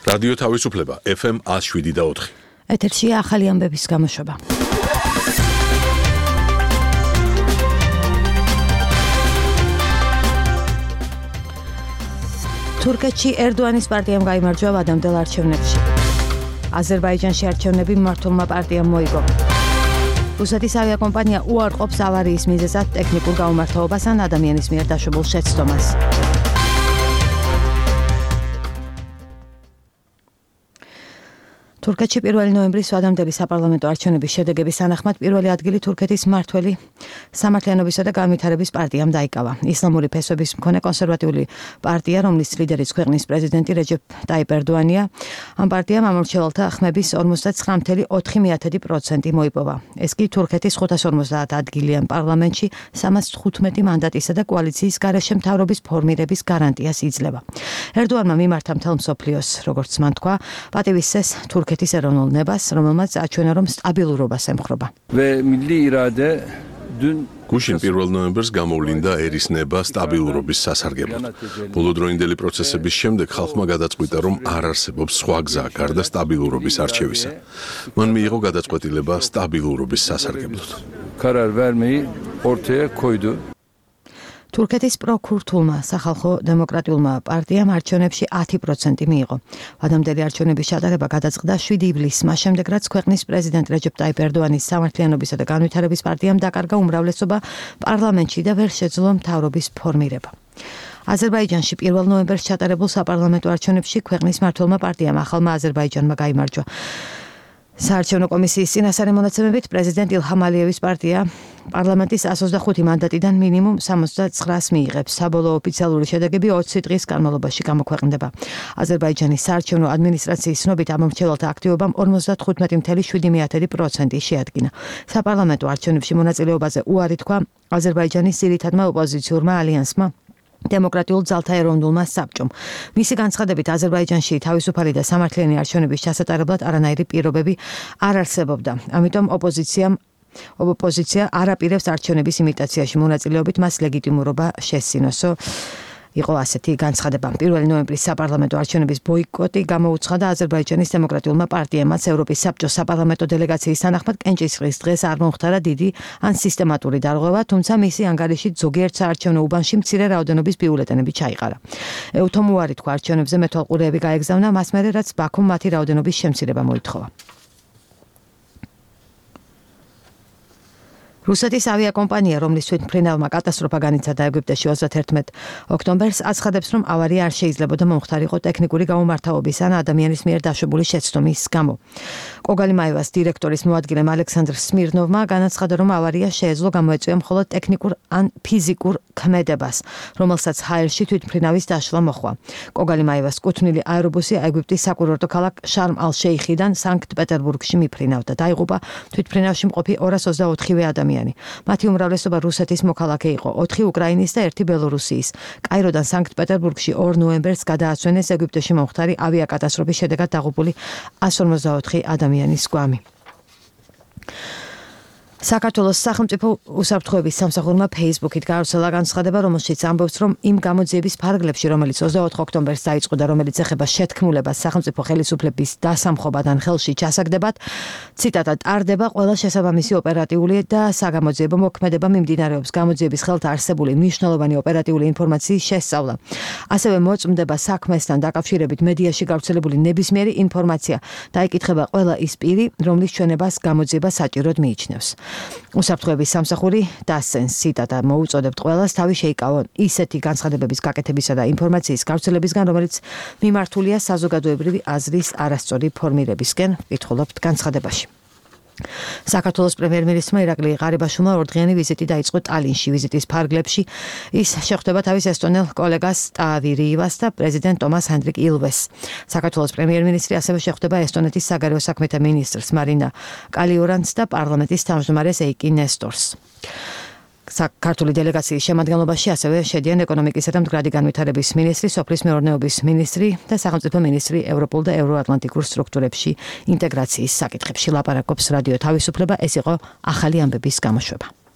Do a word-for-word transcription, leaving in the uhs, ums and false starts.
რადიო თავისუფლება ეფ ემ one oh seven და four. ეთერშია ახალი ამბების გამოშვება. თურქეთში ერდოანის პარტიამ გაიმარჯვა ვადამდელ არჩევნებში. აზერბაიჯანში არჩევნები მმართველმა პარტიამ მოიგო. რუსეთის ავიაკომპანია უარყოფს ავარიის მიზეზად ტექნიკურ გაუმართლობას ან ადამიანის მიერ დაშვებულ შეცდომას. თურქეთში პირველი ნოემბრის ვადამდელი საპარლამენტო არჩევნების შედეგების თანახმად პირველი ადგილი თურქეთის მმართველი სამართლიანობისა და განვითარების პარტიამ დაიკავა. ისლამური ფესვების მქონე კონსერვატიული პარტია, რომლის ლიდერიც ქვეყნის პრეზიდენტი რეჯეპ ტაიპ ერდოანია, ამ პარტიამ ამორჩევალთა ხმების ორმოცდათსამი კoma ოთხი პროცენტი მოიპოვა. ეს კი თურქეთის ხუთას ორმოცდაათ ადგილიან პარლამენტში სამას თხუთმეტი მანდატისა და კოალიციის გარეშე მთავრობის ფორმირების გარანტიას იძლევა. ერდოანმა მიმართა მთელ მსოფლიოს, როგორც მან თქვა, პატივისცეს თურქეთის ეს ეროვნულ ნებას, რომელმაც აჩვენა, რომ სტაბილურობას ემხრობა. გუშინ პირველ ნოემბერს გამოვლინდა ერის ნება სტაბილურობის სასარგებლოდ. ბოლოდროინდელი პროცესების შემდეგ ხალხმა გადაწყვიტა, რომ არ არსებობს სხვა გზა გარდა სტაბილურობის არჩევისა. მან მიიღო გადაწყვეტილება სტაბილურობის სასარგებლოდ. Karar vermeyi ortaya koydu. თურქეთის პროქურთულმა სახალხო დემოკრატიულმა პარტიამ არჩევნებში ათი პროცენტი მიიღო. ვადამდელი არჩევნების ჩატარება გადაწყდა შვიდი ივლისს, მას შემდეგ რაც ქვეყნის პრეზიდენტ რეჯეპ ტაიპ ერდოანის სამართლიანობისა და განვითარების პარტიამ დაკარგა უმრავლესობა პარლამენტში და ვერ შეძლო მთავრობის ფორმირება. აზერბაიჯანში პირველ ნოემბერს ჩატარებულ საპარლამენტო არჩევნებში ქვეყნის მმართველმა პარტიამ ახალმა აზერბაიჯანმა გაიმარჯვა. საარჩევნო კომისიის წინასწარი მონაცემებით პრეზიდენტ ილჰამ ალიევის პარტია პარლამენტის one hundred twenty-five მანდატიდან მინიმუმ seventy-nine მიიღებს. საბოლოო ოფიციალური შედეგები ოცი დღის განმავლობაში გამოქვეყნდება. აზერბაიჯანის საარჩევნო ადმინისტრაციის ცნობით ამორჩევალთა აქტივობამ fifty-five koma seven პროცენტი შეადგინა. საპარლამენტო არჩევნებში მონაწილეობაზე უარი თქვა აზერბაიჯანის ძირითადმა ოპოზიციურმა ალიანსმა დემოკრატიულ ძალთა ეროვნულმა საბჭომ. მისი განცხადებით აზერბაიჯანში თავისუფალი და სამართლიანი არჩევნების ჩასატარებლად არანაირი პირობები არ არსებობდა. ამიტომ ოპოზიციამ ოპოზიცია არ აპირებს არჩევნების იმიტაციაში მონაწილეობით მას ლეგიტიმურობა შესცინოსო. იყო ასეთი განცხადება. პირველი ნოემბრის საპარლამენტო არჩევნების ბოიკოტი გამოუცხადა აზერბაიჯანის დემოკრატიულმა პარტიამ, რაც ევროპის საბჭოს საპარლამენტო დელეგაციის თანახმად კენჭისყრის დღეს არ მომხდარა დიდი ან სისტემატური დარღვევა, თუმცა მისი ანგარიშით ზოგიერთ საარჩევნო უბანში მცირე რაოდენობის ბიულეტენები ჩაიყარა. ეუთომ უარი თქვა არჩევნებზე მეთვალყურეები გაეგზავნა, მას მერე რაც ბაქუმ მათი რაოდენობის შემცირება მოითხოვა. რუსეთის ავიაკომპანია, რომლის თვითმფრინავმა კატასტროფა განიცადა ეგვიპტეში თორმეტ ოქტომბერს, აცხადებს, რომ ავარია არ შეიძლებოდა მომხდარიყო ტექნიკური გაუმართავობის ან ადამიანის მიერ დაშვებული შეცდომის გამო. კოგალიმაევას დირექტორის მოადგილემ ალექსანდრ სმირნოვმა განაცხადა, რომ ავარია შეეძლო გამოეწვია მხოლოდ ტექნიკურ ან ფიზიკურ ქმედებას, რომელსაც ჰაერში თვითმფრინავის დაშლა მოჰყვა. კოგალიმაევას კუთვნილი აერობუსი ეგვიპტის საკურორტო ქალაქ შარმ ალ-შეიხიდან სანქტ-პეტერბურგში მიფრინავდა. დაიღუპა თვითმფრინავში მყოფი ორას ოცდაოთხივე ადამიანი. მათი უმრავლესობა რუსეთის მოქალაქე იყო, ოთხი უკრაინის და ერთი ბელორუსიის. კაიროდან სანქტ-პეტერბურგში ორ ნოემბერს გადააცვენეს ეგვიპტეში მომხდარი ავიაკატასტროფის შედეგად დაღუპული one forty-oთხი ადამიანის გვამი. საქართველოს სახელმწიფო უსაფრთხოების სამსახურმა Facebook-ით გავრცელა განცხადება, რომელშიც ამბობს, რომ იმ გამოძიების ფარგლებში, რომელიც ოცდაოთხ ოქტომბერს დაიწყო და რომელიც ეხება შეთქმულებას სახელმწიფო ხელისუფლების დასამხობად ან ხელში ჩასაგდებად, ციტატა ტარდება ყველა შესაბამისი ოპერატიული და საგამოძიებო მოქმედება მიმდინარეობს გამოძიების ხელთა არსებული მნიშვნელოვანი ოპერატიული ინფორმაციის შესწავლა. ასევე მოწმდება საქმესთან დაკავშირებით მედიაში გავრცელებული ნებისმიერი ინფორმაცია და იკითხება ყველა ის პირი, რომლის ჩვენებას გამოძიება საჭიროდ მიიჩნევს. უსაფრთხოების სამსახური დასცენს ციტატა მოუწოდებთ ყველას თავი შეიკავონ ისეთი განცხადებების გაკეთებისა და ინფორმაციის გავრცელებისგან, რომელიც მიმართულია საზოგადოებრივი აზრის არასწორი ფორმირებისკენ, კითხულობთ განცხადებაში. საქართველოს პრემიერ-მინისტრმა ირაკლი ღარიბაშვილმა ორდღიანი ვიზიტი დაიწყო ტალინში. ვიზიტის ფარგლებში ის შეხვდება თავის ესტონელ კოლეგას ტავი რივას და პრეზიდენტ ტომას ჰენდრიკ ილვეს. საქართველოს პრემიერ-მინისტრი ასევე შეხვდება ესტონეთის საგარეო საქმეთა მინისტრს მარინა კალიურანტს და პარლამენტის თავმჯდომარეს ეიკი ნესტორს. საქართველოს დელეგაციის შემადგენლობაში ასევე შედიან ეკონომიკისა და მდგრადი განვითარების მინისტრი, სოფლის მეურნეობის მინისტრი და სახელმწიფო მინისტრი ევროპულ და ევროატლანტიკურ სტრუქტურებში ინტეგრაციის საკითხებში. ლაპარაკობს რადიო თავისუფლება. ეს იყო ახალი ამბების გამოშვება.